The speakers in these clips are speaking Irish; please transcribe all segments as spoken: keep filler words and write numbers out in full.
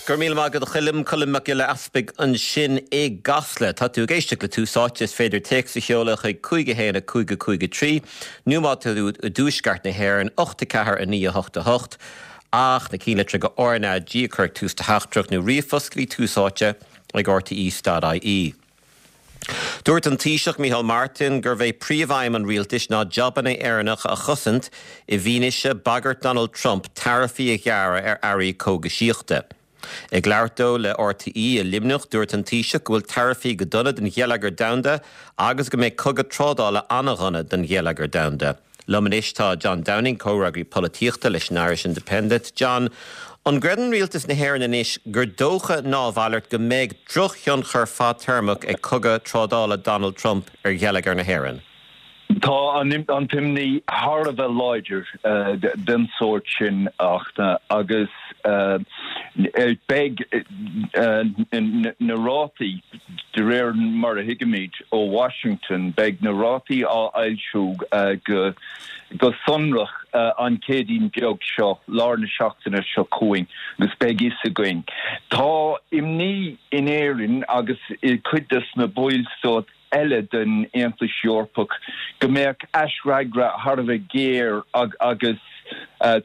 Go raibh míle maith agat a Choilm, Colm Mac Giolla Easpaig ansin i gCasla. Tá tú ag éisteacht le Tús Áite, is féidir téacs a sheoladh chuig cúig a haon a cúig a cúig a trí nó má tá tú i dtuaisceart na hÉireann ocht a ceathair a naoi a hocht a hocht ach na ceannlitreacha R N A G a chur ag tús do theachtaireacht nó ríomhphost go dtí Tús Áite ag R T E dot I E. Dúirt an Taoiseach Micheál Martin gurbh é príomhaidhm an rialtais ná jabanna Éireannacha a chosaint i bhfianaise bagairt Donald Trump taraifí a ghearradh ar earraí cógaisíochta. Ag labhairt dó le R T E i Luimneach, dúirt an Taoiseach go bhfuil taraifí go dona don gheilleagar domhanda agus go mbeidh cogadh trádála an-dhona don gheilleagar domhanda. Liom anois tá John Downing, comhfhreagraí polaitíochta leis an Irish Independent. John, an gcreideann rialtas na hÉireann anois gur dócha ná a mhalairt go mbeidh drochthionchar fadtéarmach ag cogadh trádála Donald Trump ar gheilleagar na hÉireann? Tá an an t-imní thar a bheith láidir den sórt sin ach agus beidh na rátaí de réir mar a thuigimid ó Washington, beidh na rátaí á fhoilsiú go go sonrach an Chéadaoin beag seo, lár na seachtaine seo chugainn, agus beidh fhios againn. Tá imní in Éirinn agus i cuid des na ballstáit eile den Aontas Eorpach go mbeadh aisfhreagra thar a bheith géar agus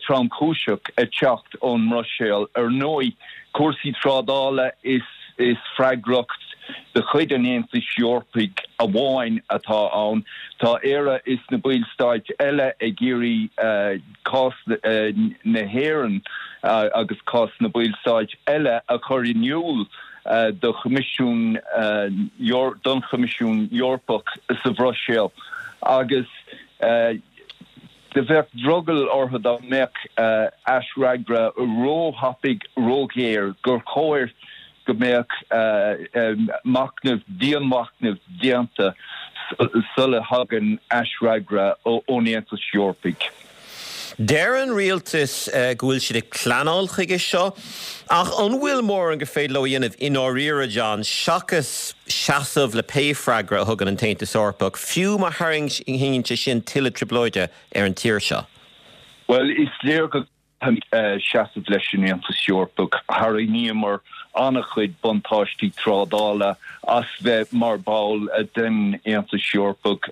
tromchúiseach ag teacht ón mBruiséil. Ar ndóigh, cúrsaí trádála is is freagracht de chuid an Aontais Eorpaigh amháin atá ann. Tá Éire is na ballstáit eile ag iarraidh cás na hÉireann agus cás na ballstáit eile a chur in iúl do Choimisiún don Choimisiún Eorpach sa Bhruiséil agus do bheadh drogall orthu dá mbeadh aisfhreagra róthapaidh, róghéar, gur chóir go mbeadh machnamh, dianmhachnamh déanta sula thagann aisfhreagra ón Aontas Eorpaigh. Deir an rialtas go bhfuil siad ag pleanáil chuige seo, ach an bhfuil mórán gur féidir leo a dhéanamh i ndáiríre, John, seachas seasamh le pé freagra a thugann an tAontas Eorpach, fiú má tharraingíonn sé sin tuilleadh trioblóide ar an tír seo? Well, is léir go seasamh leis an Aontas Eorpach. Tharraingíomar an-chuid buntáistí trádála as bheith mar bhall den Aontas Eorpach,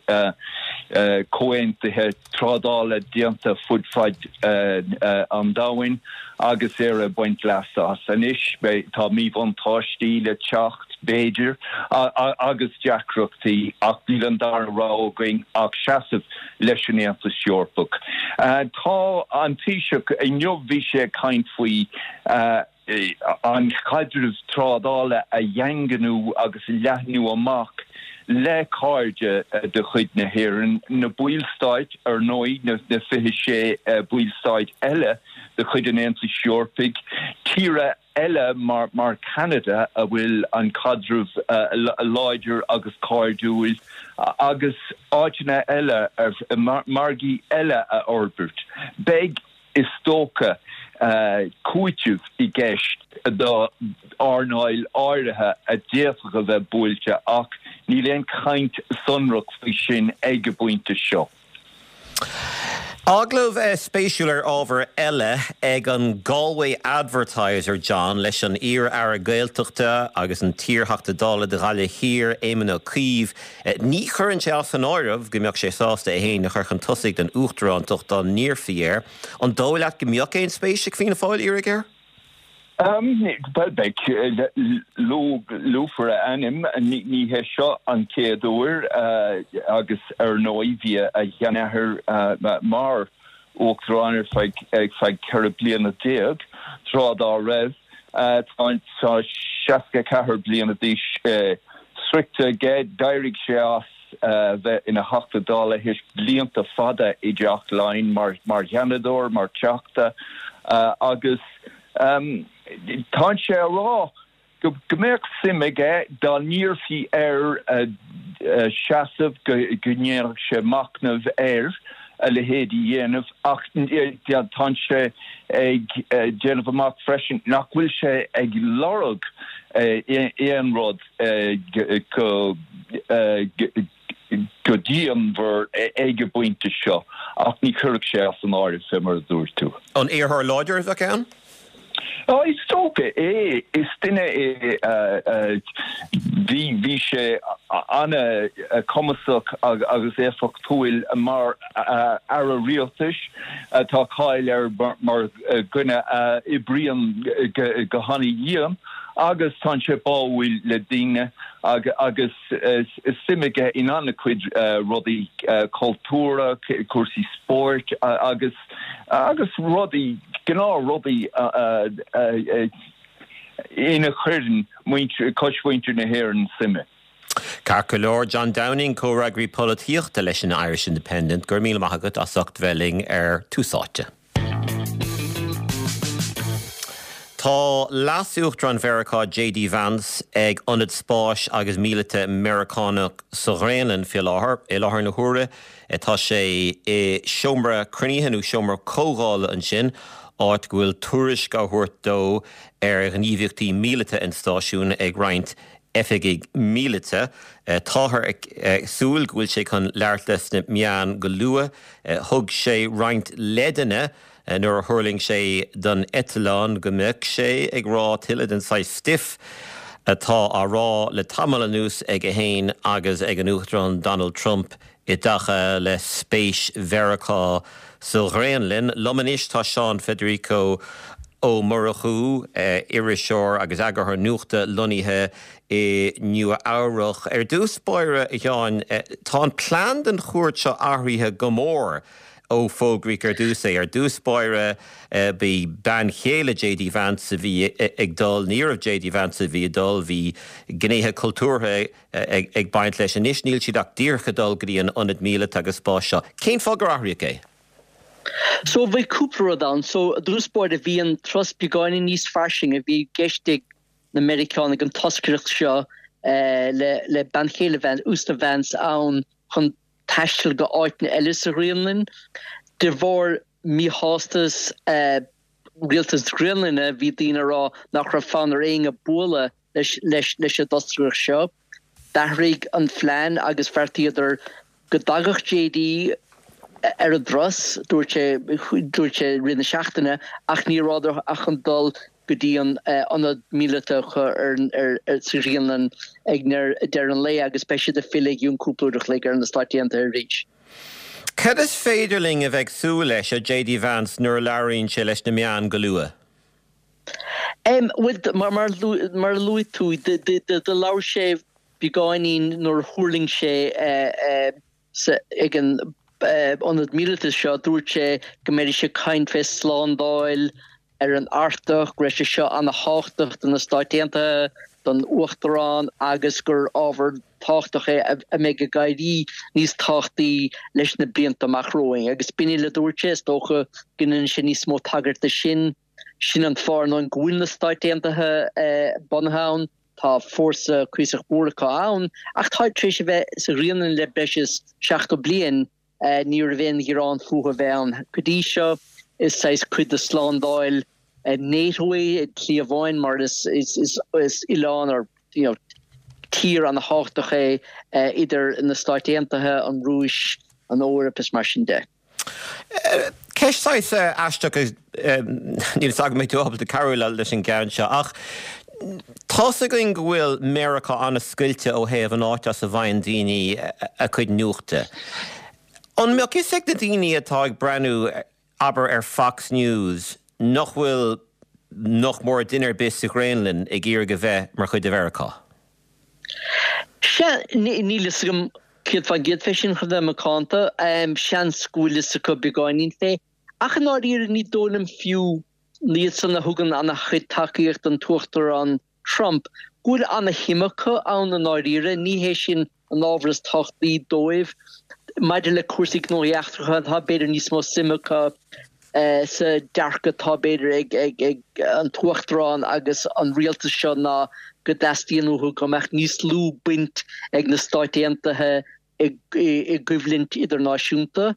comhaontuithe trádála déanta fud fad an domhain agus Éire ag baint leas as. Anois tá míbhuntáistí le teacht, b'fhéidir, agus deacrachtaí, ach níl an dara rogha againn ach seasamh leis an Aontas Eorpach. Tá an Taoiseach inniu, bhí sé ag caint faoi an chaidreamh trádála a dhaingniú agus a leathnú amach le cairde de chuid na hÉireann, na ballstáit ar ndóigh, na fiche sé ballstáit eile de chuid an Aontais Eorpaigh, tíortha eile mar mar Canada a bhfuil an caidreamh láidir agus cairdiúil, agus áiteanna eile, margaí eile a fhorbairt. Beidh, is dócha, cúiteamh i gceist do earnáil áirithe a d'fhéadfadh a bheith buailte ach níl aon chaint sonrach faoi sin ag an bpointe seo. Agallamh spéisiúil ar ábhar eile ag an Galway Advertiser, John, leis an iar-aire Gaeltachta agus an t-iarTheachta Dála do Ghaillimh Thiar, Éamon Ó Cuív. Ní chuireann sé as an áireamh go mbeadh sé sásta é féin a chur chun tosaigh don uachtarántacht dá n-iarrfaí air. An dóigh leat go mbeadh aon spéis ag Fianna Fáil iarraidh air? Bhuel, beidh, luafar a ainm, ní hé seo an chéad uair agus ar ndóigh bhí a sheanathair mar uachtarán ar feadh feadh ceithre bliana déag tráth dá raibh. Tá seasca ceathair bliana d'aois sroichte aige, d'éirigh sé as bheith ina Theachta Dála théis blianta fada i dTeach Laighean mar mar Sheanadóir, mar Theachta agus tá sé a rá go mbeadh suim aige dá n-iarrfaí air seasamh, go ndéanfadh sé machnamh air a leithéid a dhéanamh, ach tá sé ag déanamh amach freisin nach bhfuil sé ag lorg aon rud go go dianmhar ag an bpointe seo, ach ní chuirfeadh sé as an áireamh fé mar a dúirt tú. An iarrthóir láidir a bheadh ann? Oh, is dócha é is duine é bhí bhí sé an-chumasach agus éifeachtúil mar aire rialtais tá cáil air mar dhuine a oibríonn go han-dhian agus tá sé báúil le daoine agus suim aige in an-chuid rudaí cultúrtha, cúrsaí spóirt agus agus rudaí gnáthrudaí ina chuireann cosmhuintir na hÉireann suime. Ceart go leor John Downing comhfhreagraí polaitíochta leis an Irish Independent gur míle maith agat as ucht bheith linn ar Tús Áite. Tá Leas-Uachtarán Mheiriceá JD Vance ag ionad spáis agus míleata Meiriceánach sa Ghraonlainn faoi láthair. I láthair na huaire tá sé i seomra cruinnithe nó seomra comhdhála ansin, áit go bhfuil tuairisc á thabhairt dó ar ghníomhaíochtaí míleata an stáisiúin ag roinnt oifigigh míleata. Táthar ag súil go bhfuil sé chun labhairt leis na meáin go luath. Thug sé roinnt leideanna nuair a thuirling sé don eitleán go mbeadh sé ag rá tuilleadh den saghas stuif atá á rá le tamall anuas aige féin agus ag an Uachtarán Donald Trump i dtaca le spéis Mheiriceá sa Ghraonlainn. Liom anois tá Seán Federico Ó Murchú, iriseoir agus eagarthóir nuachta lonnaithe i Nua Eabhrac. Ar dtús báire, a Sheáin, tá an plean don chuairt seo athraithe go mór ó fógraíodh ar dtús é. Ar dtús báire bhí bean chéile JD Vance a bhí ag dul, ní raibh JD Vance a bhí ag dul, bhí gnéithe cultúrtha ag baint leis. Anois níl siad ach díreach ag dul go dtí an ionad míleata agus spáis seo. Cén fáth gur athraíodh é? So bhí cúpla rud ann. So i dtús báire bhí an turas beagáinín níos fairsinge, bhí i gceist ag na Meiriceánaigh an toscaireacht seo le le bean chéile Vance, Uasal Vance ann chun taisteal go áiteanna eile sa Ghraonlainn. De bharr míshástas rialtas na Graonlainne, bhí daoine ag rá nach raibh fonn ar éinne bualadh leis leis leis an dtoscaireacht seo. D'athraigh an phlean agus bheartaíodar go dtagadh JD ar an dturas, dúirt sé dúirt sé i rith na seachtaine, ach ní rabhadar ach chun dul go dtí an ionad míleata acu ar sa Ghraonlainn ag deireadh an lae agus beidh siad ag filleadh i gcionn cúpla uair a chloig ar na Stáit Aontaithe arís. Cad is féidir linn a bheith ag súil leis ó JD Vance nuair a labhraíonn sé leis na meáin go luath? Bhuel, mar mar a luaigh tú, do labhair sé beagáinín nuair a thuirling sé ag an ionad míleata seo, dúirt sé go mbeidís ag caint fé slándáil ar an Artach, go raibh sé seo ana-thábhachtach do na Stáit Aontaithe, don Uachtarán agus gur ábhar tábhachtach é a mbeidh ag éirí níos tábhachtaí leis na blianta amach romhainn. Agus b'in uile a dúirt sé, is dócha go ndéanfaidh sé níos mó tagairt de sin. Sin an fáth ar ndóigh go bhfuil na Stáit Aontaithe bunaithe ann. Tá fórsa cuíosach mór acu ann, ach táid tar éis a bheith sa Ghraonlainn le breis is seachtó bliain. Ní raibh aon ghearán fúthu a bheith ann go dtí seo. Is saghas cuid de slándáil NATO é i slí amháin mar is oileán or you know tír ana-thábhachtach é idir na Stáit Aontaithe, an Rúis, an Eoraip is mar sin de. Ceist saghas aisteach agus níl fhios agam an mbeidh tú ábalta cabhrú leis an gceann seo ach tá's againn go bhfuil Meiriceá an-scoilte ó thaobh an áit as a bhfaigheann daoine a gcuid nuachta. An mbeadh fhios ag na daoine atá ag breathnú abair ar Fox News nach bhfuil nach mór duine ar bith sa Ghraonlainn ag iarraidh a bheith mar chuid de Mheiriceá? Sea, níl fhios agam céad faoin gcéad fé sin, chun bheith macánta. Seans go bhfuil fhios acu beagáinín fé. Ach i ndáiríre ní dóigh liom fiú iad san a thugann ana-chuid tacaíocht don tUachtarán Trump, go bhfuil ana-shuim acu ann i ndáiríre. Ní hé sin an ábhar is tábhachtaí dóibh. Maidir le cúrsaí gnóthaí eachtracha, tá b'fhéidir níos mó suim acu sa dearcadh atá b'fhéidir ag ag an tUachtarán agus an rialtas seo ná go dteastaíonn uathu go mbeadh níos lú baint ag na Stáit Aontaithe i gcoimhlint idirnáisiúnta.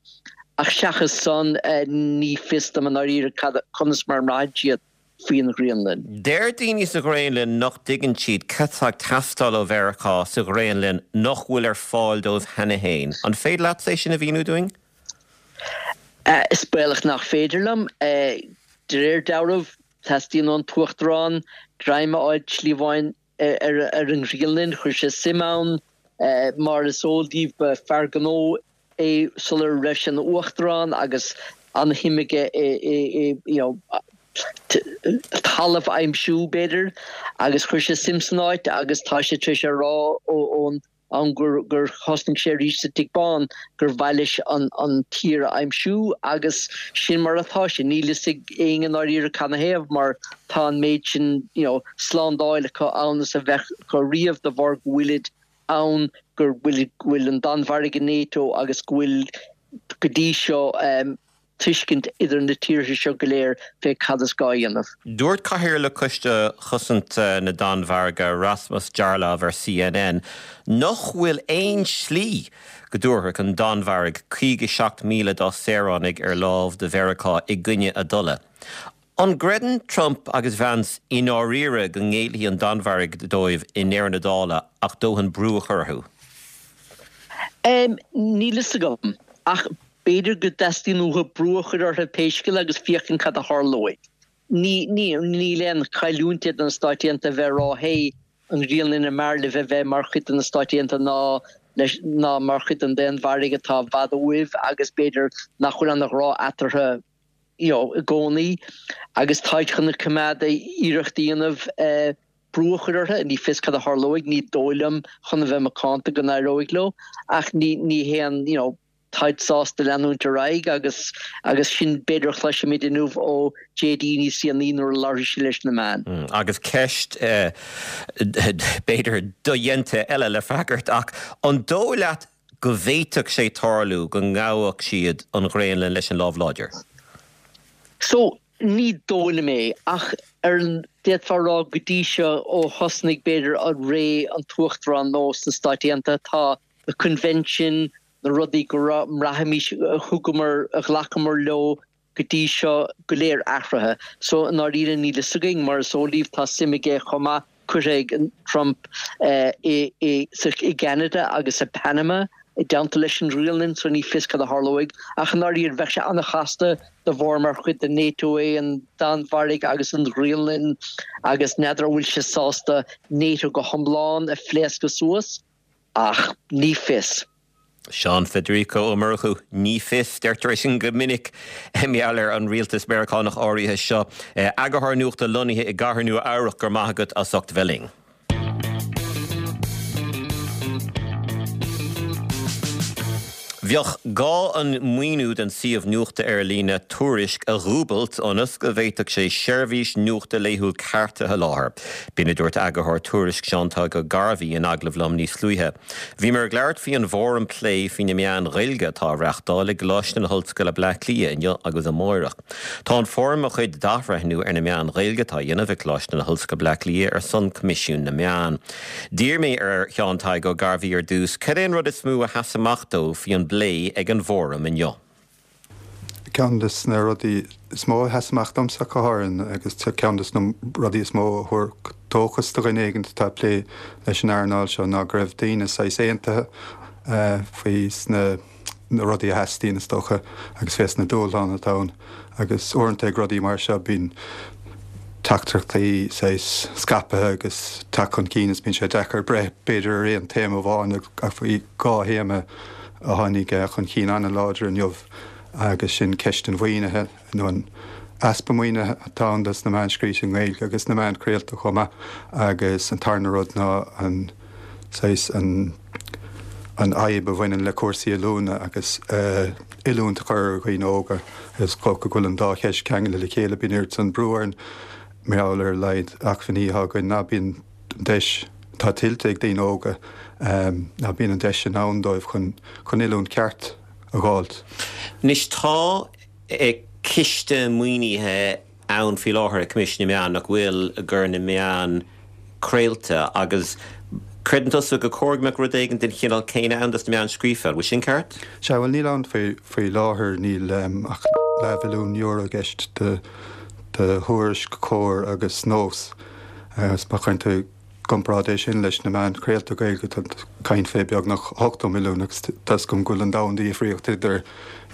Ach seachas san, ní fios dom i ndáiríre conas mar a mbraitheann siad faoin Ghraonlainn. Deir daoine sa Ghraonlainn nach dtuigeann siad cad atá ag teastáil ó Mheiriceá sa Ghraonlainn nach bhfuil ar fáil dóibh cheana féin. An féidir leat é sin a mhíniú dúinn? Is baolach nach féidir liom. De réir dealraimh, Teastaíonn ón tUachtarán greim a fháil slí amháin ar ar an nGraonlainn, chuir sé suim ann, mar is eol daoibh ba fear gnó é sular raibh sé ina uachtarán agus an-shuim aige i i you know talamh a aimsiú b'fhéidir agus chuir sé suim san áit agus tá sé tar éis a rá ón am gur gur thosnaigh sé arís sa Tigh Bán gur mhaith leis an an tír a aimsiú agus sin mar atá sé. Níl fhios ag éinne i ndáiríre canathaobh mar tá an méid sin you know slándáil acu ann is a bheadh acu riamh de bharr go bhfuilid ann go bhfuil go bhfuil an Danmhairg i NATO agus go bhfuil go dtí seo tuiscint idir na tíortha seo go léir fé cad is gá a dhéanamh. Dúirt Cathaoirleach Choiste Chosanta na Danmhairge, Rasmus Jarlov ar CNN nach bhfuil aon slí go dtabharfadh an Danmhairg caoga seacht míle dá saoránaigh ar láimh do Mheiriceá i gcoinne a dtola. An gcreideann Trump agus Vance i ndáiríre go ngéillfidh an Danmhairg dóibh i ndeireadh na dála ach dóthain brú a chur orthu? Níl fhios agam, ach b'fhéidir go dteastaíonn uathu brú a chur orthu pé scéal agus féachaint cad a tharlóidh. Ní, ní, níl aon chailliúint do na Stáit Aontaithe a bheith ag rá hey, an Ghraonlainn an mb'fhearr libh a bheith mar chuid de na Stáit Aontaithe ná leis, ná mar chuid den Danmhairg atá i bhfad uaibh agus b'fhéidir nach bhfuil an-ghrá eatarthu you know, i gcónaí agus táid chun na coimeád iarracht a dhéanamh brú a chur orthu. Ní fios cad a tharlóidh, ní dóigh liom chun a bheith macánta go n-éireoidh leo ach ní, ní haon, you know, táid sásta leanúint ar aghaidh agus agus sin b'fhéidir a chloisfimid inniu ó JD níos déanaí nuair a labharfaidh sé leis na meáin. Agus ceist b'fhéidir dodhéanta eile le freagairt ach an dóigh leat go bhféadfadh sé tarlú go ngabhfadh siad an Ghraonlainn leis an lámh láidir? So, ní dóigh liom é ach ar d'fhéadfá a rá go dtí seo ó thosnaigh b'fhéidir an ré an tUachtarán nua sna Stáit Aontaithe tá na coinbhinsin, na rudaí go raibh, mbraithimís, a thugamar, a ghlacamar leo go dtí seo go léir athraithe. So, i ndáiríre níl fhios againn, mar is eol daoibh tá suim aige chomh maith curtha ag Trump i gCeanada agus i Panama i dteannta leis an nGraonlainn, so ní fios cad a tharlóidh. Ach i ndáiríre bheadh sé an-chasta de bharr mar chuid de NATO é an Danmhairg agus an Ghraonlainn agus n'fheadar an bhfuil sé sásta NATO go hiomlán a phléascadh suas. Ach ní fios. Seán Federico Ó Murchú, Ní fios, deirtear é sin go minic i ngeall ar an rialtas Meiriceánach áirithe seo. Eagarthóir nuachta lonnaithe i gCathair Nua Eabhrac, go raibh maith agat as ucht bheith linn. Bheadh gá an maoiniú don suíomh nuachta ar líne Tuairisc a dhúbailt ionas go bhféadfadh sé seirbhís nuachta laethúil ceart a sholáthar. B'in a dúirt eagarthóir Tuairisc Seán Tadhg Ó Gairbhí in agallamh liom níos luaithe. Bhíomar ag labhairt faoi an bhfóram plé faoi na meáin Ghaeilge atá á reáchtáil i gColáiste na hOllscoile Bleá Cliath inniu agus amáireach. Tá an fóram mar chuid d'athbhreithniú ar na meáin Ghaeilge atá á dhéanamh ag Coláiste na hOllscoile Bleá Cliath ar son Coimisiún na Meán. D'iarr mé ar Sheán Tadhg Ó Gairbhí ar dtús cad é an rud is mó a sheas amach dó faoi an bplé ag an bhfóram inniu. Ceann de na rudaí is mó a sheas amach domsa go háirithe agus ceann de na rudaí is mó a thabharfadh dóchas do dhuine éigin atá ag plé leis an earnáil seo ná go raibh daoine saghas aontaithe faoi sna na rudaí a theastaíonn is dócha agus fés na dúshláin atá ann agus uaireanta ag rudaí mar seo bíonn teachtaireachtaí saghas scaipthe agus teacht chun cinn is bíonn sé deacair breith b'fhéidir ar aon téama amháin ach bhí dhá théama a tháinig chun cinn an-láidir inniu agus sin ceist an mhaoinithe nó an easpa maoinithe atá ann dos na meáin scríte i nGaeilge agus na meáin chraolta chomh maith agus an tarna rud ná an saghas an an fhadhb a bhaineann le cúrsaí oiliúna agus oiliúint a chur ar dhaoine óga. Is dócha go bhfuil an dá cheist ceangailte le chéile, bíonn oiread san brú orainn mar gheall ar a laghad acmhainní atá againn ná bíonn an deis atá tuillte ag daoine óga, ná bíonn an deis sin ann dóibh chun chun oiliúint ceart a dh'fháilt. Anois tá ciste maoinithe ann faoi láthair ag Coimisiún na Meán nach bhfuil do na meáin craolta agus creideann tusa gur chóir go mbeadh rud éigin den chineál céanna ann dos na meáin scríofa, an bhfuil sin ceart? Sea, bhuel níl ann faoi faoi láthair, níl ach leathmhilliún euro i gceist do do Thuairisc, Comhar agus Nós agus má chuireann tú dhá gcomparáid é sin leis na meáin chraolta Gaeilge tá caint fé beagnach ochtó milliún agus tá 's agam go bhfuil an domhan difríocht idir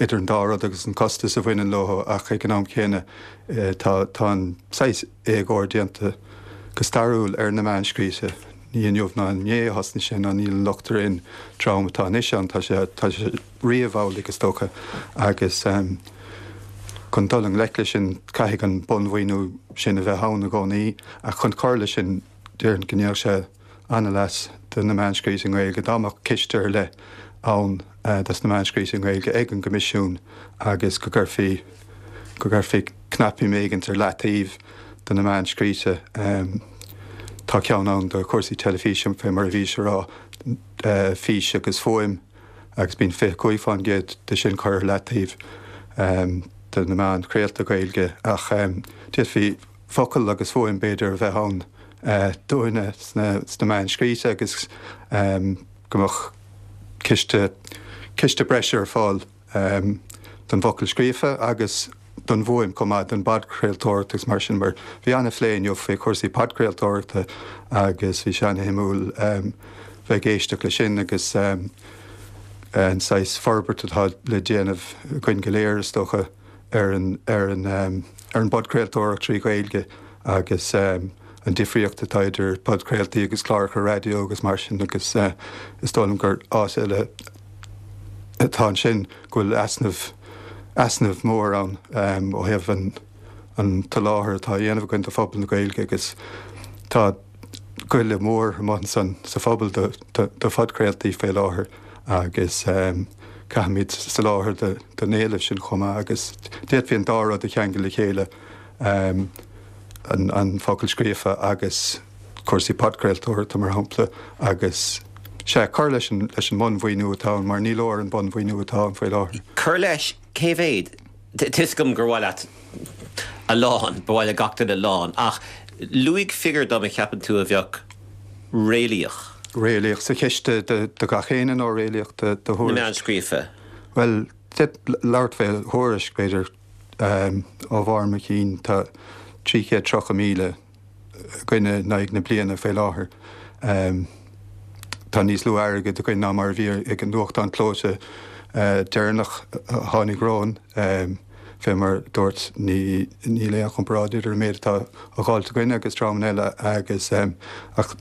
idir an dá rud agus an costas a bhaineann leo ach ag an am céanna tá tá an saghas éagóir déanta go stairiúil ar na meáin scríte. Ní inniu ná inné a thosnaigh sé ná níl an locht ar an dream atá anois ann, tá sé tá sé riamh amhlaidh is dócha agus chun dul i ngleic leis sin caithfidh an bunmhaoiniú sin a bheith ann i gcónaí ach chun cur leis sin déarfainn go ndéanfadh sé an-leas do na meáin scríte i nGaeilge dá mbeadh ciste ar leith ann dos na meáin scríte i nGaeilge ag an gCoimisiún agus go gcuirfí go gcuirfí cnaipí éigint ar leataobh do na meáin scríte. Tá ceann ann do chúrsaí teilifíse fé mar a bhís a rá, fís agus fuaim agus bíonn fiche cúig faoin gcéad de sin curtha ar leataobh do na meáin chraolta Gaeilge ach d'fhéadfaí focal agus fuaim b'fhéidir a bheith ann dúinne sna meáin scríte agus go mbeadh ciste ciste breise ar fáil don bhfocal scríofa agus don bhfuaim chomh maith, don bpodchraoltóireacht agus mar sin, mar bhí an-phlé inniu faoi chúrsaí podchraoltóireachta agus bhí sé an-shuimiúil bheith ag éisteacht leis sin agus an saghas forbairt atá le déanamh againn go léir, is dócha, ar an ar an ar an bpodchraoltóireacht trí Ghaeilge agus an difríocht atá idir podchraoltaí agus cláracha raidió agus mar sin agus is dóigh liom gur áit eile atá ansin go bhfuil easnamh easnamh mór ann ó thaobh an an tsoláthair atá á dhéanamh againn do phobal na Gaeilge agus tá goile mór amuigh ansan sa phobal do do phodchraoltaí fé láthair agus caithfimid soláthar don éileamh sin chomh maith agus d'fhéadfaí an dá rud a cheangal le chéile, an focal scríofa agus cúrsaí podchraoltóireachta mar shampla agus sea, cur leis an leis an mbunmhaoiniú atá ann mar ní leor an bunmhaoiniú atá ann faoi láthair. Cur leis, cé mhéad? Tá 'fhios agam gur mhaith leat a lán, ba mhaith le gach duine a lán, ach luaigh figiúr dom a cheapann tú a bheadh réalaíoch. Réalaíoch sa chiste do gach éinne nó réalaíoch do Thuairisc? Na meáin scríofa. Bhuel, labhairt fé Thuairisc, b'fhéidir, ó bharr mo chinn, tá trí chéad tríocha míle againn in aghaidh na bliana fé láthair. Tá níos lú airgid againn ná mar a bhí ag an nuachtán clóite deireanach a tháinig romhainn. Fé mar a dúirt, ní níl aon chomparáid idir an méid atá á dháileadh againne agus dreamanna eile agus ach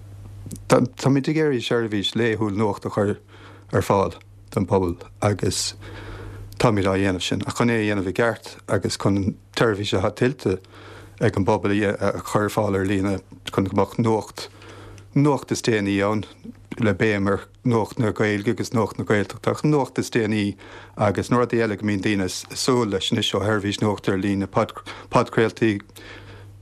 táimid ag iarraidh seirbhís laethúil nuachta a chur ar fáil don phobal agus táimid á dhéanamh sin. Ach chun é a dhéanamh i gceart agus chun an tseirbhís atá tuillte ag an bpobal a chur ar fáil ar líne chun go mbeadh nuacht nuacht is déanaí ann le béim ar nuacht na Gaeilge agus nuacht na Gaeltachta ach nuacht is déanaí agus na rudaí eile go mbíonn daoine ag súil leis anois ó sheirbhís nuachta ar líne, podchraoltaí,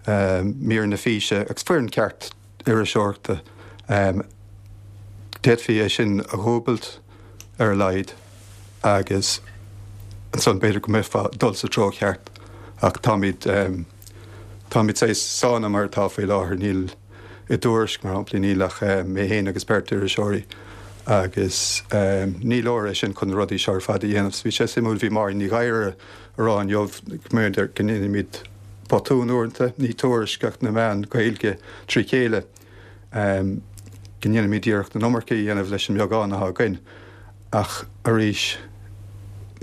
míreanna físe agus foireann ceart iriseoireachta. D'fhéadfaí é sin a dhúbailt ar a laghad agus ansan b'fhéidir go mbeifeá ag dul sa treo cheart ach táimid táimid saghas sáinnithe mar atá faoi láthair. Níl i dTuairisc, mar shampla, níl ach mé féin agus beirt iriseoirí agus ní leor é sin chun na rudaí seo ar fad a dhéanamh. So bhí sé suimiúil, bhí Máirín Ní Ghadhra a rá inniu go mb'fhéidir go ndéanaimid botún uaireanta, ní Tuairisc ach na meáin Ghaeilge trí chéile, go ndéanaimid iarracht an iomarca a dhéanamh leis an mbeagán atá againn. Ach arís,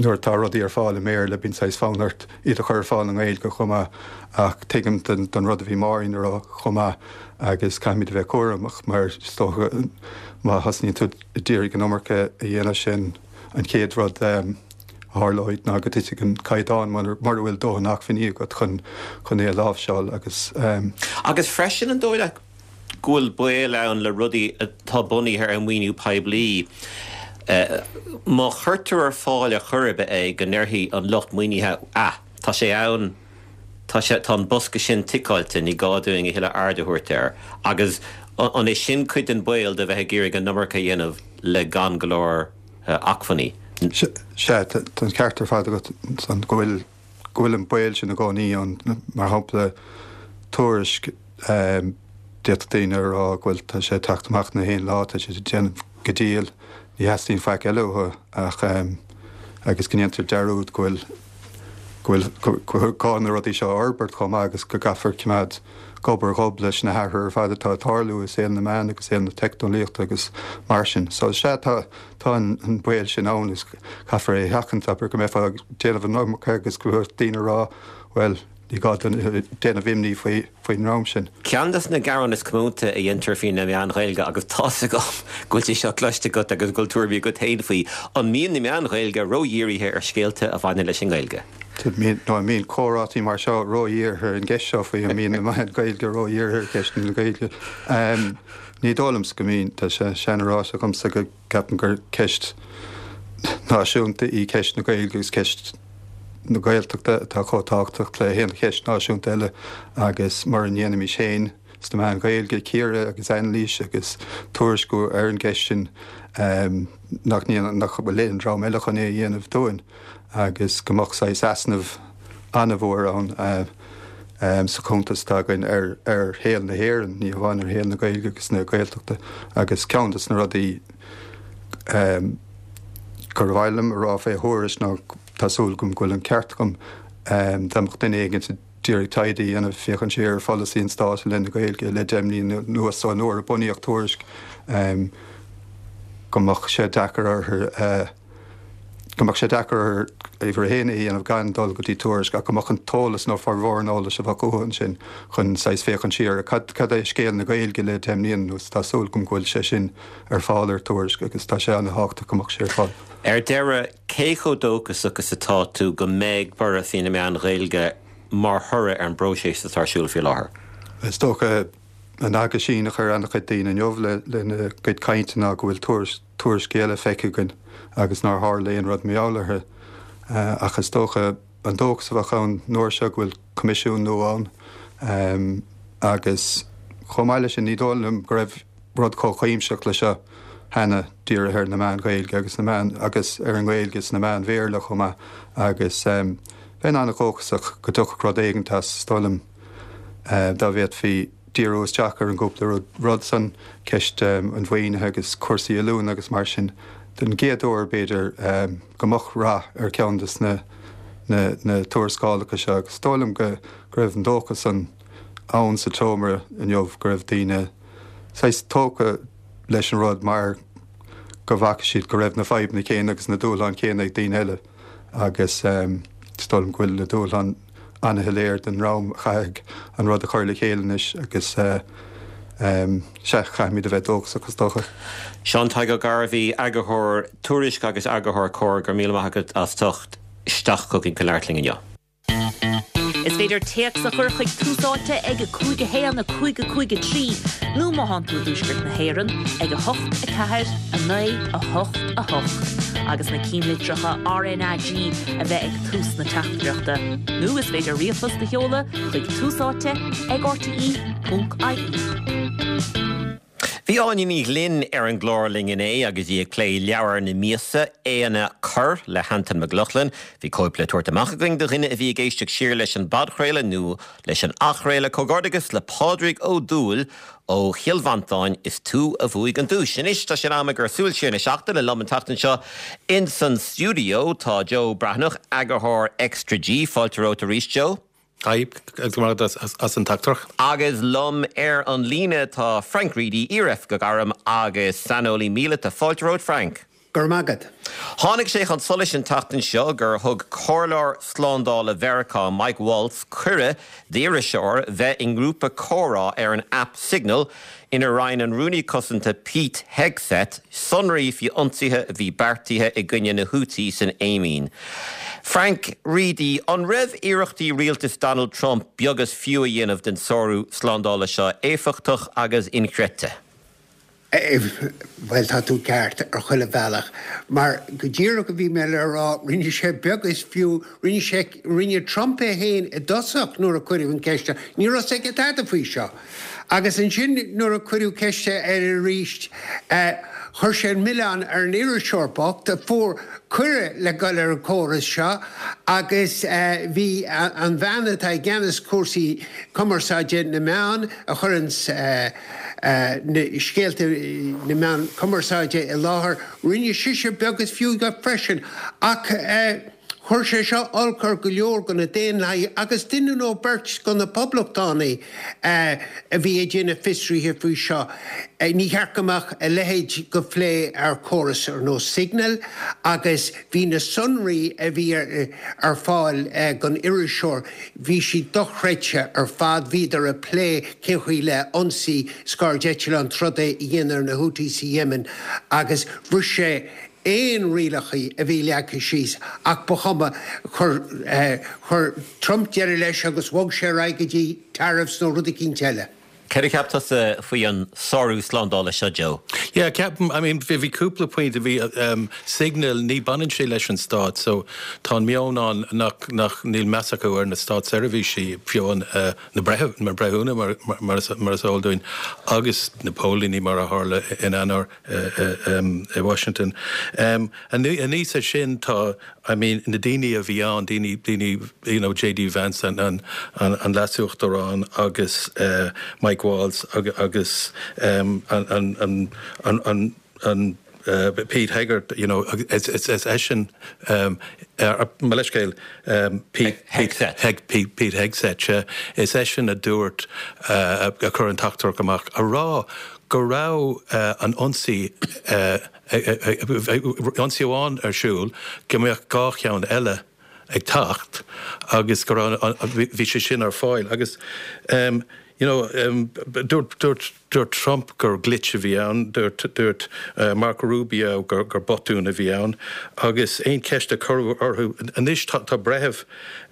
nuair atá rudaí ar fáil i mBéarla, bíonn saghas fonn ort iad a chur ar fáil i nGaeilge chomh maith. Ach tuigim don rud a bhí Máirín a rá chomh maith agus caithfimid a bheith cúramach mar is dócha má thosnaíonn tú ag iarraidh an iomarca a dhéanamh sin an chéad rud a tharlóidh ná go dtitfidh an caighdeán mura bhfuil dóthain acmhainní agat chun chun é a láimhseáil agus. Agus freisin an dóigh leat go bhfuil baol ann le rudaí atá bunaithe ar mhaoiniú poiblí, má chuirtear ar fáil ar chor ar bith é, go ndéarfaidh an lucht maoinithe, ah, tá sé ann, tá sé, tá an bosca sin ticeáilte, ní gá dúinn a thuilleadh aird a thabhairt air. Agus an é sin cuid den baol de bheith ag iarraidh an iomarca a dhéanamh le gan go leor acmhainní? Sea, tá an ceart ar fad agat ansan go bhfuil, go bhfuil an baol sin i gcónaí ann. Mar shampla, Tuairisc, d'fhéadfadh daoine a rá go bhfuil, tá sé ag teacht amach na haon lá, tá sé ag déanamh go diail, ní theastaíonn faic eile uathu ach, agus go ndéantar dearúd go bhfuil go bhfuil gá na rudaí seo a fhorbairt chomh maith agus go gcaithfear coimeád gob ar ghob leis na hathruithe ar fad atá ag tarlú i saol na meán agus saol na teicneolaíochta agus mar sin. So sea, tá tá an baol sin ann is caithfear é a sheachaint, abair go mbeifeá ag déanamh an iomarca agus go mbeadh daoine ag rá, bhuel, ní gá déanamh imní faoi faoin dream sin. Ceann de na gearáin is comónta a dhéantar faoi na meáin Ghaeilge, agus tá's agam go bhfuil sé seo cloiste agat agus go bhfuil tuairimí agat féin faoi, an mbíonn na meáin Ghaeilge ródhírithe ar scéalta a bhaineann leis an nGaeilge? Nó an mbíonn comhráití mar seo ródhírithe ar an gceist seo faoi an mbíonn na meáin Ghaeilge ródhírithe ar cheist na Gaeilge? Ní dóigh liomsa go mbíonn. Tá sé seanráite agamsa go gceapaim gur ceist náisiúnta í ceist na Gaeilge agus ceist na Gaeltachta atá chomh tábhachtach le haon cheist náisiúnta eile agus mura ndéanaimis féin sna meáin Ghaeilge cíoradh agus anailís agus tuairisciú ar an gceist sin nach nach bhfuil aon dream eile chun é a dhéanamh dúinn agus go mbeadh saghas easnamh an-mhór ann sa chuntas atá againn ar ar shaol na hÉireann, ní hamháin ar shaol na Gaeilge agus na Gaeltachta agus ceann de na rudaí gur mhaith liom a rá fé Thuairisc ná tá súil agam go bhfuil an ceart agam dá mbeadh duine éigin ag iarraidh taighde a dhéanamh féachaint siar ar pholasaí an stáit i leith na Gaeilge le deich mbliana anuas ón uair a bunaíodh Tuairisc go mbeadh sé deacair orthu go mbeadh sé deacair orthu uimhir a haon é a dhéanamh gan dul go dtí Tuairisc ach go mbeadh an t-eolas nó formhór an eolais a bheadh uathu ansin chun saghas féachaint siar ar cad cad é scéal na Gaeilge le deich mbliana anuas. Tá súil agam go bhfuil sé sin ar fáil ar Tuairisc agus tá sé an-thábhachtach go mbeadh sé ar fáil. Ar deireadh, cé chomh dóchasach is atá tú go mbeidh borradh faoi na meáin Ghaeilge mar thoradh ar an bpróiseas atá ar siúl faoi láthair? Is dócha an aguisín a chuir an-chuid daoine inniu lena gcuid cainte ná go bhfuil tuairiscí eile feicthe againn agus nár tharla aon rud mar gheall orthu. Ach is dócha an dóchas a bheadh ann an uair seo go bhfuil coimisiún nua ann agus chomh maith leis sin ní dóigh liom go raibh rud chomh cuimsitheach le seo cheana dírithe ar na meáin Ghaeilge agus na meáin agus ar an nGaeilge sna meáin Bhéarla chomh maith agus bheinn an-dhóchasach go dtiocfadh rud éigin as, is dóigh liom, dá bhféadfaí díriú isteach ar an gcúpla rud san, ceist an mhaoinithe agus cúrsaí oiliúna agus mar sin, den gcéad uair b'fhéidir go mbeadh rath ar cheann de na na tuarascálacha seo agus is dóigh liom go raibh an dóchas san ann sa tseomra inniu go raibh daoine saghas tógtha leis an rud mar go bhfaca siad go raibh na fadhbanna céanna agus na dúshláin chéanna ag daoine eile agus is dóigh liom go bhfuil na dúshláin an-shoiléir don dream a chaithfidh an rud a chur le chéile anois agus sea, caithfimid a bheith dóchasach is dócha. Seán Tadhg Ó Gairbhí, Eagarthóir Tuairisc agus Eagarthóir Comhar, go raibh míle maith agat as teacht isteach chugainn chun labhairt linn inniu. Is féidir téacs a chur chuig Tús Áite ag a cúig a haon a cúig a cúig a trí nó má thánn tú i dtuaisceart na hÉireann ag a hocht a ceathair a naoi a hocht a hocht agus na cinnlitreacha RnaG a bheith ag tús na teachtaireachta. Nó is féidir ríomhphost a sheoladh chuig Tús Áite ag rte ponc ie. Bhí Áine Ní Ghlinn ar an gclár linn inné agus í ag plé leabhar na míosa, Éanna Corr le hAntain Mac Lochlainn. Bhí cóip le tabhairt amach againn do dhuine a bhí ag éisteacht siar leis an bpodchraoladh nó leis an athchraoladh. Comhghairdeachas le Pádraig Ó Dúill ó Chill Mhantáin, is tú a bhuaigh an duais. Anois tá sé in am ag ár Súil Siar na Seachtaine liom an tseachtain seo ins an stiúideo tá Joe Breathnach, eagarthóir Extra G. Fáilte romhat arís Joe. Haigh, go raibh maith agat as an teachtaireacht. Agus liom ar an líne tá Frank Reidy, iar-oifigeach airm agus saineolaí míleata. Fáilte romhat Frank. Go raibh maith agat. Tháinig sé chun solais an tseachtain seo gur thug Comhairleoir Slándála Mheiriceá Mike Waltz cuireadh d'iriseoir bheith i ngrúpa comhrá ar an aip Signal inar roinn an Rúnaí Cosanta Pete Hegseth sonraí faoi ionsaithe a bhí beartaithe i gcoinne na Houthis san Éimín. Frank Reidy, an raibh iarrachtaí rialtas Donald Trump beag is fiú a dhéanamh den sárú slándála seo éifeachtach agus inchreidte? Bhuel, tá tú ceart ar chuile bhealach, mar go díreach a bhí mé le rá, rinne sé beag is fiú, rinne sé, rinne Trump é féin i dtosach nuair a cuireadh an ceist air, ní raibh a fhios aige tada faoi seo. Agus ansin nuair a cuireadh ceist air arís, chuir sé an milleán ar an iriseoir bocht a fuair cuireadh le dul ar an chóras seo agus bhí an bhean atá i gceannas cúrsaí cumarsáide na meán a chuireanns na scéalta na meán cumarsáide i láthair. Rinne sise beag is fiú de freisin. Ach Chuir sé seo olc ar go leor de na Daonlathaigh agus duine nó beirt de na Poblachtánaigh a bhí ag déanamh fiosruithe faoi seo. Ní cheart go mbeadh a leithéid de phlé ar chóras ar nós Signal agus bhí na sonraí a bhí ar fáil don iriseoir, bhí siad dochreidte ar fad. Bhíodar ag plé cén chaoi le ionsaí scairdeitleán troda a dhéanamh ar na Houthis sa Yemen agus bhris sé aon rialacha a bhí leagtha síos ach ba chuma, chuir chuir Trump deireadh leis agus bhog sé ar aghaidh go dtí tariffs nó rud eicínt eile. Céard a cheap tusa faoi an sárú slándála seo, Joe? Yeah, ceapaim, I mean, bhí cúpla pointe, bhí um, Signal, ní baineann sé leis an stát, so tá an meon ann nach, nach níl meas acu ar na státseirbhísí, fiú an, uh, na breitheamh, na breithiúna mar, mar, mar, mar is eol dúinn, agus na póilíní mar a tharla in Eanáir uh, um, i Washington. Um, aníos air sin tá, I mean, na daoine a bhí ann, daoine, daoine, you know, J D Vance an, an, an, an leasuachtarán agus uh, Mike Waltz agus, agus um, an, an, an, an, an, an uh, Pete Hegseth, you know, is, is, is eisean um, uh, mo leithscéal um, Pete, Hegseth. Heg, Pete, Pete Hegseth, uh, is eisean a dúirt uh, a chuir an teachtaireacht amach a rá go raibh uh, an ionsaí uh, ionsaí amháin ar siúl go mbeadh dhá cheann eile ag teacht agus go raibh bhí sé sin ar fáil agus um, you know, um, dúirt, dúirt, dúirt Trump gur glitch a bhí ann, dúirt, dúirt uh, Marco Rubio gur, gur botún a bhí ann, agus aon cheist a cuireadh orthu anois tá, tá breitheamh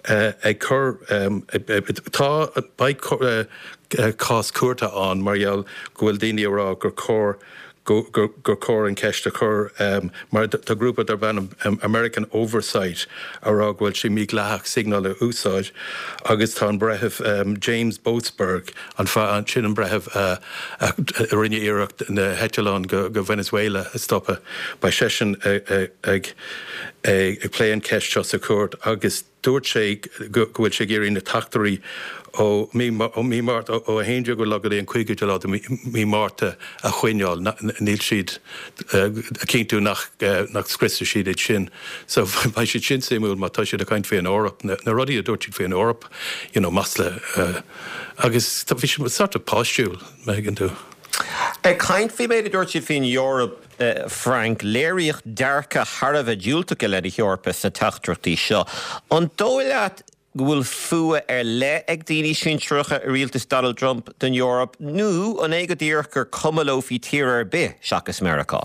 uh, ag cur um, tá beidh uh, cás cúirte ann mar gheall go bhfuil daoine ag rá gur chóir go, gur, gur chóir an ceist a chur um, mar tá grúpa darb ainm um, American Oversight a rá go bhfuil sé mídhleathach Signal a úsáid agus tá an breitheamh um, James Boasberg an fa sin an breitheamh uh, a, a rinne iarracht na heitleáin go, go Venezuela a stopadh beidh seisean ag, ag, ag, ag plé an ceist seo sa cúirt agus dúirt sé go bhfuil sé ag iarraidh na teachtaireachtaí ó mí ó mí Márta ó a haon déag go dtí an cúigiú lá de mí Márta a choinneáil níl siad a chinntiú nach nach scriosfaidh siad iad sin. So beidh siad sin suimiúil má tá siad ag caint faoin Eoraip na, na rudaí a dúirt siad faoin Eoraip you know, masla uh, agus bhí sé sort of páistiúil me tú. Ag caint faoin méid a dúirt siad faoin Eoraip uh, Frank léiríodh dearcadh thar a bheith diúltach i leith na hEorpa sna teachtaireachtaí seo. An dóigh leat go bhfuil fuath ar leith ag daoine sinsearacha i rialtas Donald Trump don Eoraip nó an é go díreach gur cuma leo faoi thír ar bith seachas Meiriceá.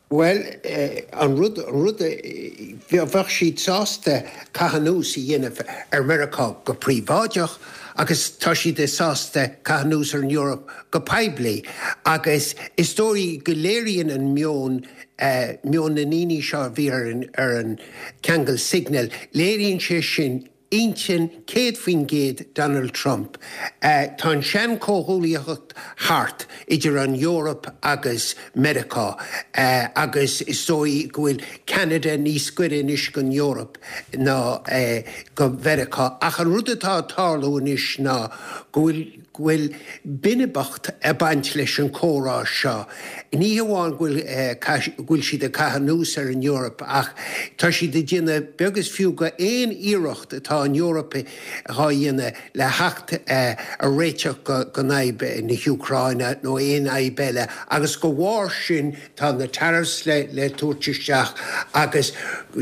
Well, eh, an rud an rud bheadh siad sásta caitheamh anuas a dhéanamh ar Meiriceá go príobháideach agus tá siad sásta caitheamh anuas ar an Eoraip go poiblí agus is dóigh go léiríonn an meon uh, meon na ndaoine seo bhí ar an, ar an ceangal Signal, léiríonn sé sin intinn céad faoin gcéad Donald Trump. Uh, tá an sean comhghuaillíocht thart idir an Eoraip agus Meiriceá uh, agus is dóigh go bhfuil Canada níos gaire anois don Eoraip ná uh, go Meiriceá. Ach an rud atá ag tarlú anois ná go bhfuil go bhfuil binibeacht ag baint leis an chomhrá seo. Ní hamháin go bhfuil siad ag caitheamh anuas ar an Eoraip ach tá siad ag déanamh beag is fiú de aon iarracht atá an Eoraip dhá dhéanamh le theacht ar réiteach go fhadhb na hÚcráine nó aon fhadhb eile, agus de bharr sin tá na tariffs le le tabhairt isteach agus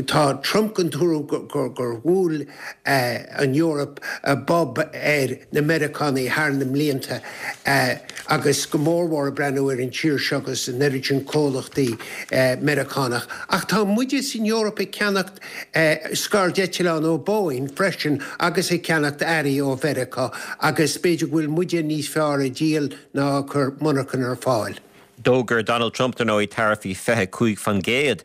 tá Trump den tuairim gur gur bhuail an Eoraip bob ar na Meiriceánaigh thar na mblianta agus go mórmhór ag breathnú ar an tír seo agus an oiread sin comhlachtaí Meiriceánach. Ach tá muide san Eoraip ag ceannacht scairdeitleán ó Boeing freisin agus ag ceannacht earraí ó Mheiriceá agus b'fhéidir go bhfuil muide níos fearr ag díol ná cur monarchan ar fáil. D'fhógair Donald Trump ar ndóigh taraifí fiche cúig faoin gcéad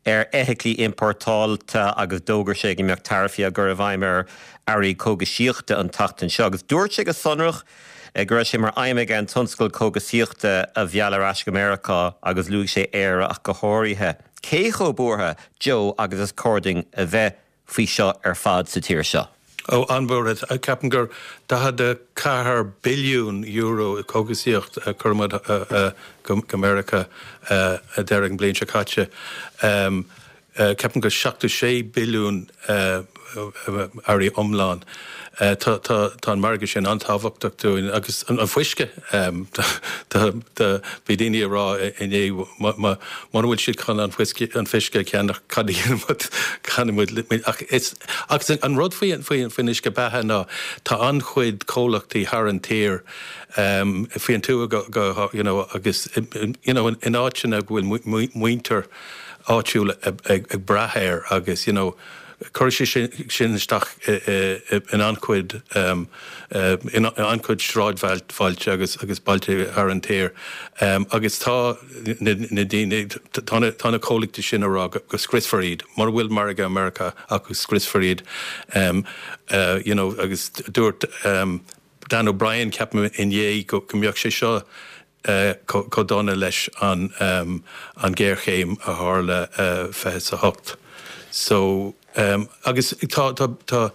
ar fheithiclí importáilte agus d'fhógair sé go mbeadh taraifí á gcur i bhfeidhm ar earraí cógaisíochta an tseachtain seo agus dúirt sé go sonrach go raibh sé mar aidhm aige an tionscal cógaisíochta a mhealladh ar ais go Meiriceá agus luaigh sé Éire ach go háirithe. Cé chomh buartha Joe agus is cóir dúinn a bheith faoi seo ar fad sa tír seo. Ó an-bhuartha ceapaim gur daichead a ceathair billiún euro cógaisíocht a chuir muid go Meiriceá a deireadh an bliain seo caite. Um, Ceapaim go seachtó sé billiún earraí iomlán. Tá tá an margadh sin an-tábhachtach dúinn agus an fuisce bhí daoine ag rá inné mura bhfuil siad chun an fuisce an fuisce a cheannach cad a dhéanfaidh muid muid ach is agus an rud faoi faoin uisce beatha ná tá an-chuid comhlachtaí thar an tír faoin tuath go you know agus you know in áiteanna go bhfuil muintir áitiúil ag brath air agus you know cuirfidh sé sin isteach in an-chuid in an-chuid sráidbhailte agus agus bailte thar an tír agus tá na daoine tá na tá na comhlachtaí sin ag rá go scriosfar iad mura bhfuil margadh Meiriceá acu scriosfar iad you know agus dúirt Dan O'Brien ceapaim inné go mbeadh sé seo chomh dona leis an an géarchéim a tharla fiche is a hocht. So agus tá tá tá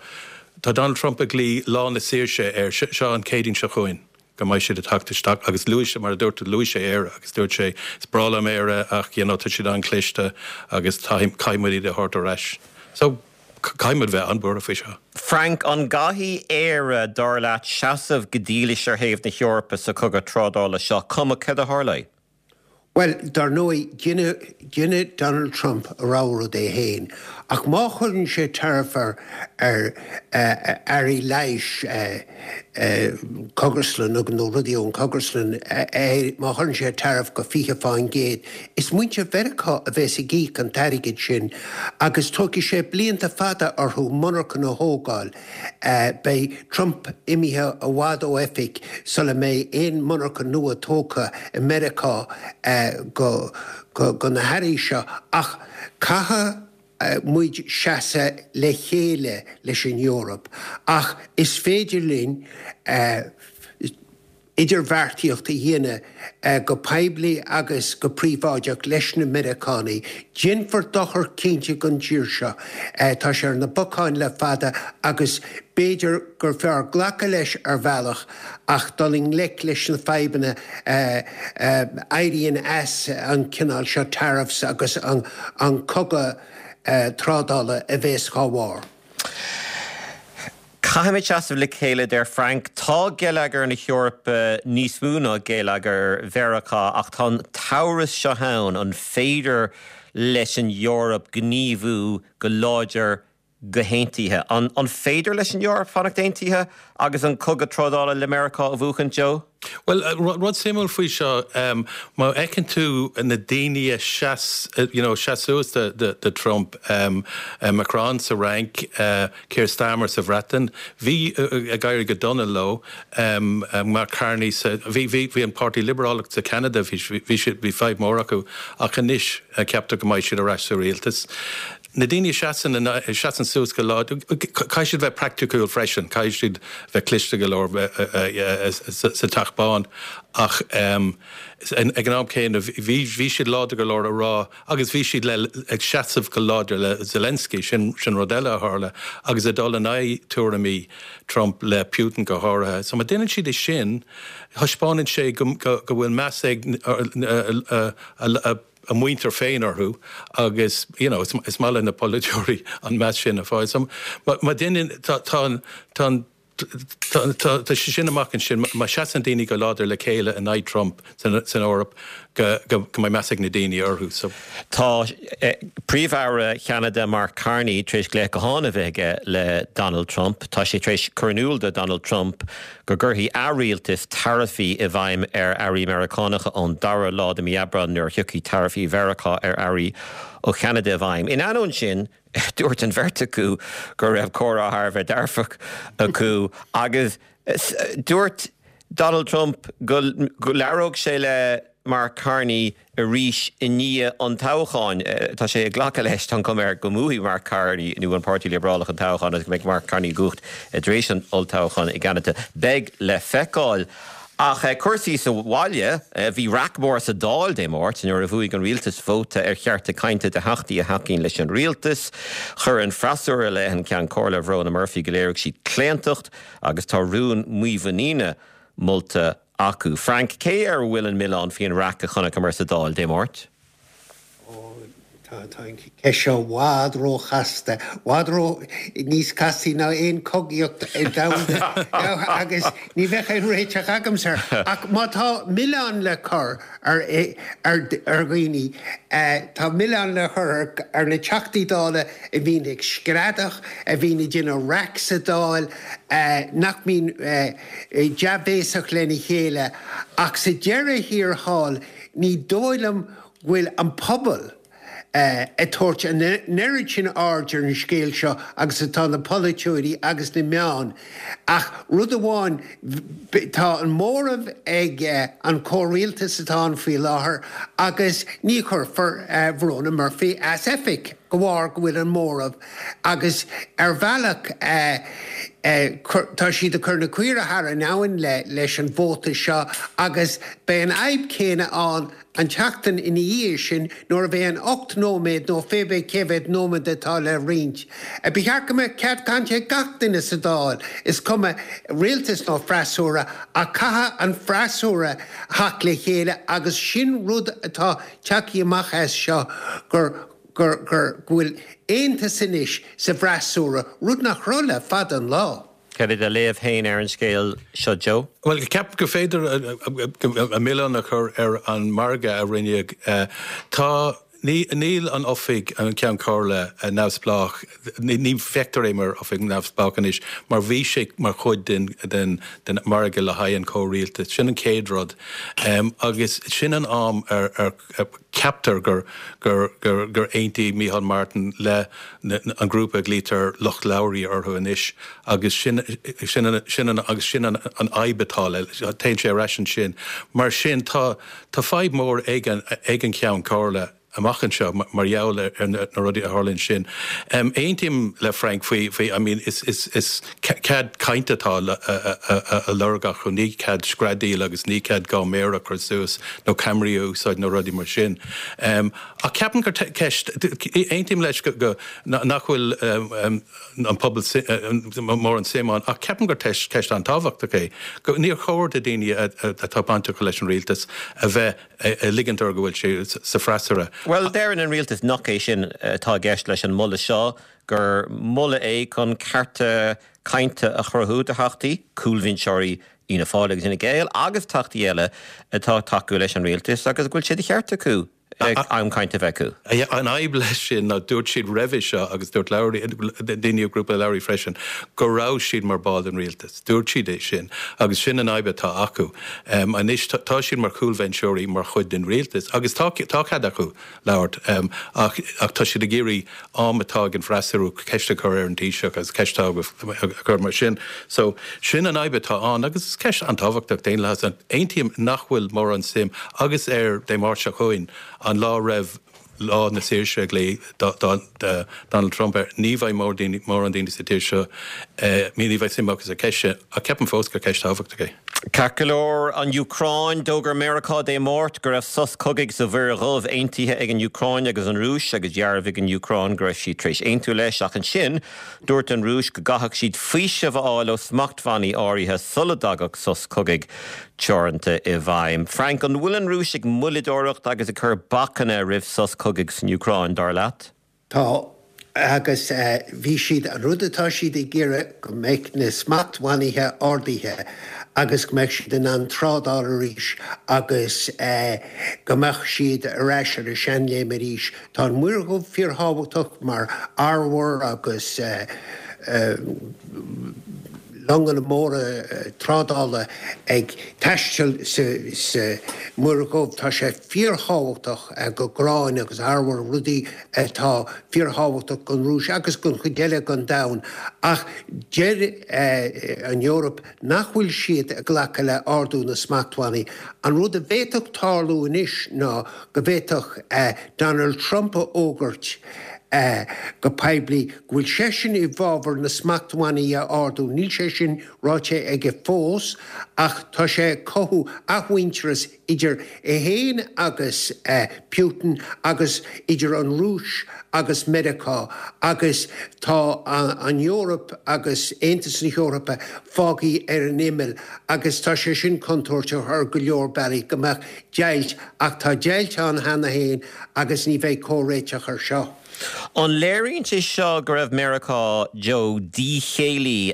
tá Donald Trump ag glaoch lá na saoirse air seo an Céadaoin seo chugainn go mbeidh siad ag teacht isteach agus luaigh sé mar a dúirt luaigh sé Éire agus dúirt sé is breá liom Éire ach you know tá siad an-chliste agus caithfidh muid iad a thabhairt ar ais. So caithfidh muid bheith an-bhuartha faoi seo. Frank, an gcaithfidh Éire, dar leat, seasamh go dílis ar thaobh na hEorpa sa chogadh trádála seo, cuma céard a tharlóidh? Bhuel, dar ndóigh, déanfaidh Donald Trump a rogha rud é féin, ach má chuireann sé tariff ar earraí leighis, cógaslann nó rudaí ón cógaslann, má chuireann sé tariff go fiche fán gcéad, is muintir Mheiriceá a bheas ag íoc an t-airgead sin agus tógfaidh sé blianta fada orthu monarchan a thógáil. Beidh Trump imithe i bhfad ó oifig sula mbeidh aon monarcha nua tógtha i Meiriceá go na hearraí seo ach caithfidh muid seasamh le chéile leis an Eoraip ach is féidir linn idirbheartaíocht a dhéanamh go poiblí agus go príobháideach leis na Meiriceánaigh. Déanfar dochar cinnte don tír seo. Tá sé ar na bacáin le fada agus b'fhéidir gur fearr glacadh leis ar bhealach ach dul i ngleic leis na fadhbanna a éiríonn as an cineál seo tariffs agus an cogadh trádála a bheas dhá bharr. Caithfimid seasamh le chéile, a deir Frank. Tá geilleagar na hEorpa níos mó ná geilleagar Mheiriceá ach tá an t-amhras seo ann, an féidir leis an Eoraip gníomhú go láidir go haontaithe? An féidir leis an Eoraip fanacht aontaithe agus an cogadh trádála le Meiriceá a bhuachaint, Joe? Bhuel, rud suimiúil faoi seo, má fheiceann tú na daoine a sheas, you know, sheas suas do Trump, Macron sa Fhrainc, Keir Starmer sa Bhreatain, bhí ag éirí go dona leo, Mark Carney sa, bhí, bhí, bhí an Páirtí Liobrálach sa Cheanada, bhí, bhí siad, bhí fadhb mhór acu ach anois ceaptar go mbeidh siad ar ais sa rialtas. Na daoine a sheasann a sheasann suas go láidir, caithfidh siad bheith praiticiúil freisin, caithfidh siad bheith cliste go leor sa Teach Bán ach ag an am céanna bhí bhí siad láidir go leor a rá agus bhí siad le ag seasamh go láidir le Zelensky, sin sin rud eile a tharla agus ag dul in aghaidh tuairimí Trump le Putin go háirithe. So má déanann siad é sin, thaispeánann sé go go bhfuil meas ag a a muintir féin orthu agus you know is maith le na polaiteoirí an meas sin a fháil. So má déanann tá tá tá tá sé sin amach ansin má seasann daoine go láidir le chéile in aghaidh Trump san san Eoraip go go go mbeidh meas ag na daoine orthu. So. Tá Príomh-Aire Cheanada Mark Carney tar éis glaoch gutháin a bheith aige le Donald Trump. Tá sé tar éis cur in iúl do Donald Trump go gcuirfidh a rialtas taraifí i bhfeidhm ar earraí Meiriceánacha ón dara lá de mhí Aibreáin nuair a thiocfaidh taraifí Mheiriceá ar earraí ó Cheanada i bhfeidhm. In ainneoin sin, dúirt an bheirt acu go raibh comhrá thar a bheith dearfach acu agus dúirt Donald Trump go labhródh sé le Mark Carney arís i ndiaidh an toghcháin. Tá sé ag glacadh leis, tá an chuma air, go mbuafaidh Mark Carney nó an Páirtí Liobrálach an toghchán agus go mbeidh Mark Carney i gcumhacht tar éis an olltoghcháin i gCeanada. Beidh le feiceáil. Ach cúrsaí sa bhaile, bhí raic mhór sa Dáil Dé Máirt nuair a bhuaigh an rialtas vóta ar chearta cainte do theachtaí a thacaíonn leis an rialtas. Chuir an freasúra i leith an Ceann Comhairle Bhróna Murphy go léirigh sí claontacht agus tá rún mímhuiníne molta acu. Frank, cé air a bhfuil an milleán faoin raic a chonaiceamar sa Dáil Dé Máirt? Ó, tá Tá an cheist seo i bhfad róchasta, i bhfad ró níos castaí ná aon chogaíocht domhanda agus ní bheadh aon réiteach agamsa air. Ach má tá milleán le cur ar ar dhaoine, tá milleán le cur ar na Teachtaí Dála a bhíonn ag screadach, a bhíonn ag déanamh raic sa Dáil, nach mbíonn dea-bhéasach lena chéile. Ach sa deireadh thiar thall, ní dóigh liom go bhfuil an pobal ag tabhairt an oiread sin aird ar an scéal seo agus atá na polaiteoirí agus na meáin. Ach rud amháin, tá an móramh ag an chomhrialtas atá ann faoi láthair agus ní chuirfear Verona Murphy as oifig de bharr go bhfuil an móramh agus ar bhealach tá siad ag cur na caoirigh thar an abhainn leis an vóta seo agus beidh an fhadhb chéanna ann an tseachtain ina dhiaidh sin nuair a bheidh an ocht nóiméad nó pé bith cé mhéad nóiméad atá le roinnt. Ba cheart go mbeadh cead cainte ag gach duine sa Dáil, is cuma rialtas nó freasúra, ach caithfidh an freasúra theacht le chéile agus sin rud atá tagtha amach as seo gur gur gur go bhfuil aontas anois sa bhfreasúra, rud nach raibh le fada an lá. Cad é do léamh féin ar an scéal seo, Joe? Bhuel, ceapaim gur féidir an milleán a chur ar an margadh a rinneadh. Tá, níl an oifig, an Ceann Comhairle neamhspleách, ní feictear é mar oifig neamhspleách anois mar bhí sé mar chuid den den den margadh le haghaidh an chomhrialtais. Sin an chéad rud. Agus sin an am ar ar Ceaptar gur gur gur gur aontaigh Micheál Martin le an grúpa a ghlaoitear Lucht Lowry orthu anois agus sin sin an sin an agus sin an an fhadhb atá le téann sé ar ais ansin. Mar sin tá tá fadhb mhór ag an ag an Cheann Comhairle amach anseo mar gheall ar na rudaí a tharla ansin. Aontaím le Frank faoi faoi I mean is is is cead cainte atá á lorg acu, ní cead screadaíl agus ní cead dhá méar a chur suas nó ceamaraí a úsáid nó rudaí mar sin. Ach ceapaim gur ceist, aontaím leis go nach bhfuil an pobal mórán suim ann ach ceapaim gur ceist an-tábhachtach é. Níor chóir do daoine atá bainteach leis an rialtas a bheith ag ligint orthu go bhfuil sé sa freasúra. Bhuel, deireann an rialtas nach é sin atá i gceist leis an moladh seo, gur moladh é chun cearta cainte a chruthú do theachtaí, cúlbhinseoirí Fhianna Fáil agus Fhine Gael agus teachtaí eile atá ag tacú leis an rialtas agus go bhfuil sé de cheart acu am cainte a bheith acu. An fhadhb leis sin ná dúirt siad roimhe seo agus dúirt Lowry, daoine ó ghrúpa Lowry freisin, go raibh siad mar ball den rialtas. Dúirt siad é sin agus sin an fhadhb atá acu. Anois tá siad mar chúlbhinseoirí mar chuid den rialtas agus tá cead acu labhairt ach ach tá siad ag iarraidh am atá ag an bhfreasúra ceist a chur ar an Taoiseach agus ceist a chur mar sin. So sin an fhadhb atá ann agus is ceist an-tábhachtach daonlathas. Aontaím nach bhfuil mórán suim agus ar Dé Máirt seo chugainn an lá roimh Lá na Saoirse a ghlaoigh Donald Trump air, ní bheidh mórán daoine sa tír seo, ní bheidh suim acu sa cheist sin, ach ceapaim fós gur ceist thábhachtach é. Ceart go leor, an Úcráin, D'fhógair Meiriceá Dé Máirt go raibh sos cogaidh sa Mhuir Dhubh aontaithe ag an Úcráin agus an Rúis agus dhearbhaigh an Úcráin go raibh siad tar éis aontú leis ach ansin dúirt an Rúis go gcaithfeadh siad faoiseamh a fháil ó smachtbhannaí áirithe sula dtagadh sos cogaidh teoranta i bhfeidhm. Frank, an bhfuil an Rúis ag moilleadóireacht agus ag cur bacanna roimh sos cogaidh san Úcráin, dar leat? Tá, agus bhí siad, an rud atá siad ag iarraidh go mbeidh na smachtbhannaithe ardaithe agus go mbeidh siad in ann trádáil arís agus go mbeadh siad ar ais ar a seanléim arís. Tá an Mhuir Dhubh fíorthábhachtach mar arbhar agus longanna móra trádála ag taisteal sa Mhuir Dhubh. Tá sé fíorthábhachtach do ghráin agus arbhar, rudaí atá fíorthábhachtach don Rúis agus don chuid eile den domhan. Ach deir an Eoraip nach bhfuil siad ag glacadh le ardú na smachtbhannaí. An rud a bhféadfadh tarlú anois ná go bhféadfadh Donald Trump a fhógairt, go poiblí go bhfuil seisean i bhfabhar na smachtbhannaí a ardú. Níl sé sin ráite aige fós ach tá sé ag cothú athmhuintearas idir é féin agus Putin agus idir an Rúis agus Meiriceá agus tá an Eoraip agus Aontas na hEorpa fágtha ar an imeall agus tá sé sin contúirteach ar go leor bealaí go mbeadh deighilt ach tá deighilt ann cheana féin agus ní bheidh comhréiteach ar seo. An léiríonn sé seo go raibh Meiriceá, Joe, díchéillí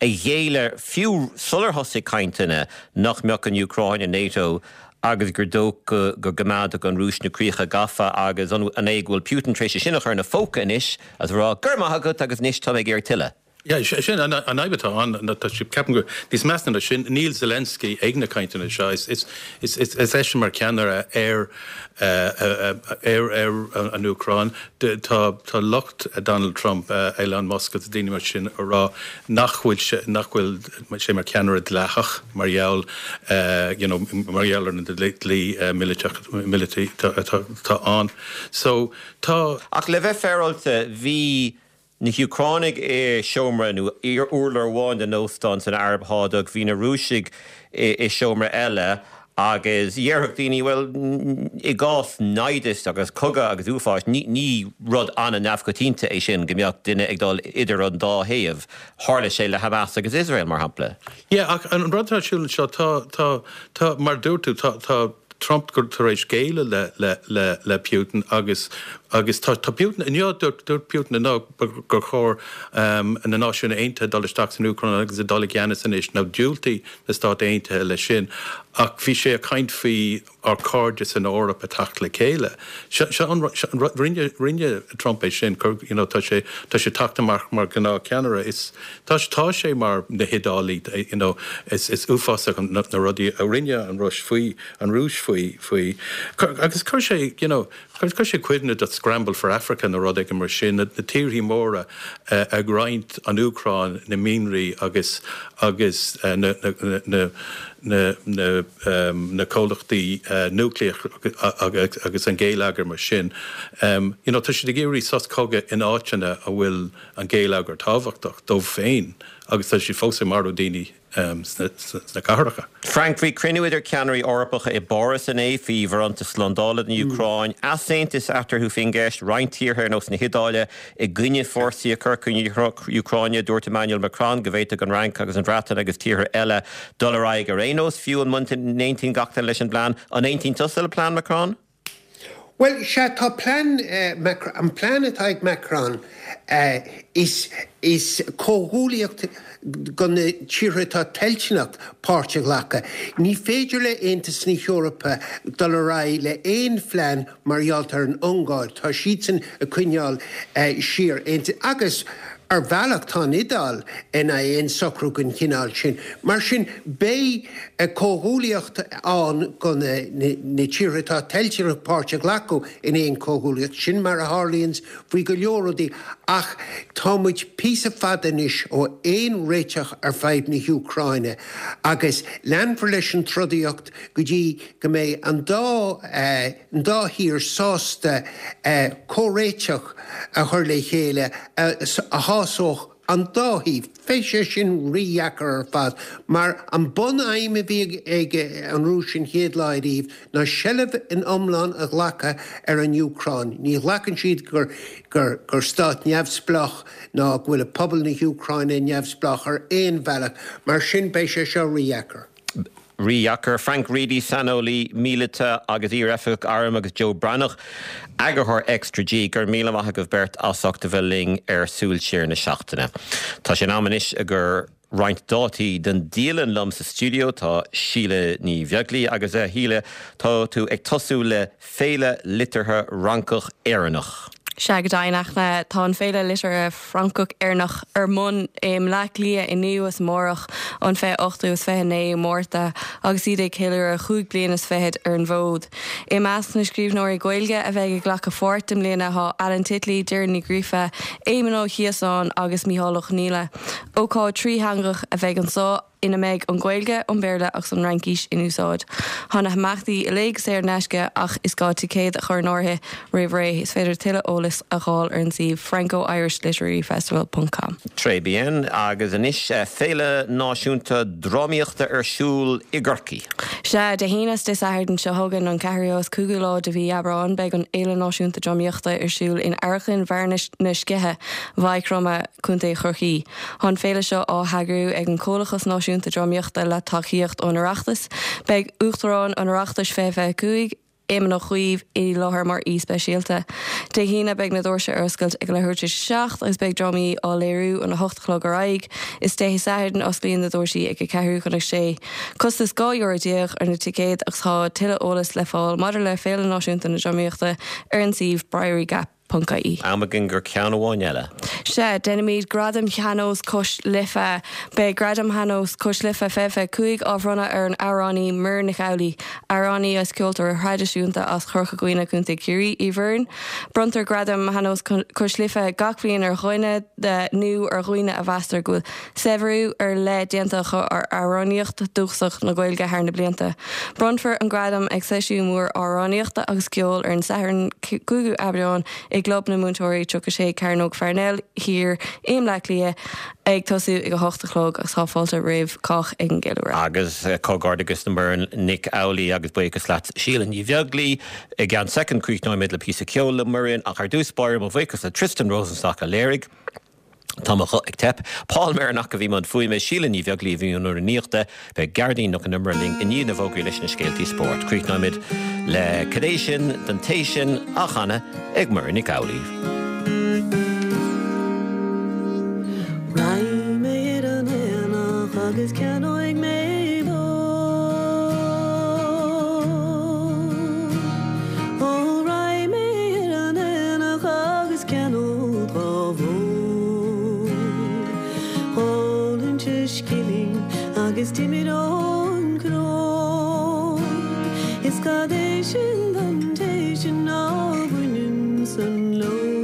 a ghéilleadh fiú sular thosaigh cainteanna nach mbeadh an Úcráin i NATO agus gur dócha go gcoimeádfadh an Rúis na críocha gafa agus an é go bhfuil Putin tar éis é sin a chur ina phóca anois agus a rá 'Go raibh maith agat agus anois tá mé ag iarraidh tuilleadh'? Yeah, sin an fhadhb atá ann, tá sé, ceapaim gur níos measa ná sin, níl Zelensky ag na cainteanna seo, is is is is eisean mar cheannaire ar ar ar an Úcráin. Tá tá lucht Donald Trump, Elon Musk agus daoine mar sin ag rá nach bhfuil sé nach bhfuil sé mar cheannaire dleathach mar gheall you know mar gheall ar an dlí míleata atá ann. So tá. Ach le bheith féaráilte, bhí na hÚcránaigh i seomra nó urlár amháin den óstán san Araib Shádach, bhí na Rúisigh i seomra eile agus dhéarfadh daoine, bhuel, i gcás naimhdis agus cogadh agus uafáis, ní rud an-neamhchoitianta é sin go mbeadh duine ag dul idir an dá thaobh. Tharla sé le Hamas agus Iosrael, mar shampla. Yeah, ach an rud atá ar siúl anseo, tá, tá, tá, mar a dúirt tú, tá, tá, Trump tar éis géilleadh le le le le Putin agus agus tá tá Putin inniu dúirt dúirt Putin inniu gur chóir um, na Náisiúin Aontaithe dul isteach san Úcráin agus a dul i gceannas anois nó diúltaigh na Stáit Aontaithe leis sin ach bhí sé ag caint faoi ár cairde san Eoraip ag teacht le chéile. Seo seo an rinne rinne Trump é sin cur you know tá sé tá sé teacht amach mar gnáthcheannaire is tá tá sé mar na hIodálaigh you know is is uafásach na na rudaí a rinne an Rúis faoi an Rúis faoi faoi agus chuir sé you know chuir sé cuimhne duit Scramble for Africa nó rud éigin mar sin na na tíorthaí móra uh, ag roinnt an Úcráin na mianraí agus agus uh, na na na na na um, na comhlachtaí uh, núicléach agus, agus an geilleagar mar sin. Um, you know, tá siad ag iarraidh sos cogaidh in áiteanna a bhfuil an geilleagar tábhachtach dóibh féin agus tá siad fós ag marú daoine um, sna, sna cathracha. Frank, bhí cruinniú idir ceannairí Eorpacha i bPáras inné faoi bharántas slándála don Úcráin, easaontas eatarthu faoin gceist, roinnt tíortha ar nós na hIodáile i gcoinne fórsaí a chur chun na hÚcráine, dúirt Emmanuel Macron go bhféadfadh an Fhrainc agus an Bhreatain agus tíortha eile dul ar aghaidh ar aon nós fiú an n-aontaíonn gach duine leis an bplean. An aontaíonn tusa le plean Macron? Bhuel, sea, tá plean, an plean atá ag Macron is is comhghuaillíocht do na tíortha atá toilteanach páirt a ghlacadh. Ní féidir le Aontas na hEorpa dul ar aghaidh le aon phlean mar gheall ar an Ungáir. Tá siadsan ag coinneáil siar. Agus ar bhealach tá an Iodáil in aghaidh aon socrú den chineál sin. Mar sin, beidh comhghuaillíocht ann do na tíortha atá toilteanach páirt a ghlacadh in aon chomhghuaillíocht. Sin mar a tharlaíonns faoi go leor rudaí. Ach tá muid píosa fada anois ó aon réiteach ar fadhb na hÚcráine agus leanfar leis an trodaíocht go dtí go mbeidh an dá an dá thír sásta comhréiteach a chur le chéile a shásódh an dá thaobh. Beidh sé sin rídheacair ar fad, mar an bunaidhm a bhí ag an Rúis an chéad lá ariamh ná seilbh in iomlán a ghlacadh ar an Úcráin. Ní ghlacann siad gur gur gur stát neamhspleách ná go bhfuil pobal na hÚcráine neamhspleách ar aon bhealach. Mar sin beidh sé seo rídheacair. Rídheacair. Frank Reidy, saineolaí míleata agus iar-oifigeach airm agus Joe Breathnach, eagarthóir Extra G. Go raibh míle maith agaibh beirt as ucht a bheith linn ar Súil Siar na Seachtaine. Tá sé in am anois gur roinnt dátaí den dialann liom sa stiúideo tá Síle Ní Bheaglaoí agus a Shíle tá tú ag tosú le Féile Liteartha Fhrancach Éireannach. Sea go deimhin a Fhachtna, tá an Féile Liteartha Francach Éireannach ar bun i mBleá Cliath inniu is amárach an fiche ochtú is fiche naoú Márta agus iad ag ceiliúradh chúig bliana is fichead ar an bhfód. I measc na scríbhneoirí Gaeilge a bheidh ag glacadh pháirt i mbliana tá Alan Titley, Doireann Ní Ghríofa, Éamon Ó Ciosáin agus Mícheál Ó Conghaile. Ócáid trítheangach a bheidh anseo. ina mbeidh an Ghaeilge, an Béarla agus an Fhraincis in úsáid. Tá na himeachtaí uilig saor in aisce ach is gá ticéad a chur in áirithe roimh ré. Is féidir tuilleadh eolais a fháil ar an suíomh franco-irish-literary-festival ponc com. Très bien. Agus anois Féile Náisiúnta Drámaíochta ar siúl i gCorcaigh. Sea, Dé hAoine is Dé Sathairn seo chugainn, an ceathrú is cúigiú lá de mhí Aibreáin, beidh an Fhéile Náisiúnta Drámaíochta ar siúl in Amharclann Bharr na Sceiche, Mhaigh Chromtha, Contae Chorcaí. Tá an féile seo á heagrú ag an Comhlachas Náisiúnta Drámaíochta le tacaíocht ón Oireachtas. Beidh Uachtarán an Oireachtais fiche fiche cúig, Éamon Ó Cuív, i láthair mar aoi speisialta. Dé hAoine beidh na doirse ar oscailt ag leathuair tar éis a seacht agus beidh drámaí á léiriú óna hocht a chlog ar aghaidh. Is Dé Sathairn osclaíonn na doirsí ag a ceathrú chun a sé. Costas dhá euro déag ar na ticéid agus tá tuilleadh eolas le fáil maidir le Féile Náisiúnta na Drámaíochta ar an suíomh brierygap ponc ie. Am againn gur ceann amháin eile. Sea, déanaimid Gradaim Shean-Nós Cois Life. Beidh Gradaim Shean-Nós Cois Life fiche fiche cúig á bhronnadh ar an amhránaí Muireann Nic Amhlaoibh, amhránaí agus ceoltóir thraidisiúnta as Corca Dhuibhne, Contae Chiarraí, í Mhuireann. Bronntar Gradaim Shean-Nós Cois Life gach bliain ar dhuine nó ar dhaoine a mheastar go bhfuil saibhriú ar leith déanta acu ar amhránaíocht dúchasach na Gaeilge thar na blianta. Bronnfar an gradam ag seisiún mór amhránaíochta agus ceoil ar an Satharn cúigiú Aibreán i gClub na Múinteoirí, tríocha sé Cearnóg Pharnell Thiar i mBleá Cliath ag tosú ag a hocht a chlog agus tá fáilte roimh cách ag an gceiliúradh. Agus comhghairdeachas le Muireann Nic Amhlaoibh agus buíochas leat, Síle Ní Bheaglaoí. I gceann soicind críochnóimid le píosa ceoil le Muireann ach ar dtús báire mo bhuíochas le Tristan Rosenstock a léirigh. Tá mo ghuth ag teip. Paul Merrick a bhí i mbun fuaime, Síle Ní Bheaglaoí a bhí i mbun rúnaíochta. Beidh Gearóidín Nic Con Iomaire linn i ndiaidh na bhfógraí leis na scéaltaí spóirt. Críochnóimid le Cad é sin don té sin á chanadh ag Muireann Nic Amhlaoibh. Raghaidh mé ar an aonach agus ceannóidh mé bó. Ó raghaidh mé ar an aonach agus ceannód dhá bhó. Dhá liúnta scilling agus d'imir ón gcró. Is cad é sin don té sin ná baineann san leo.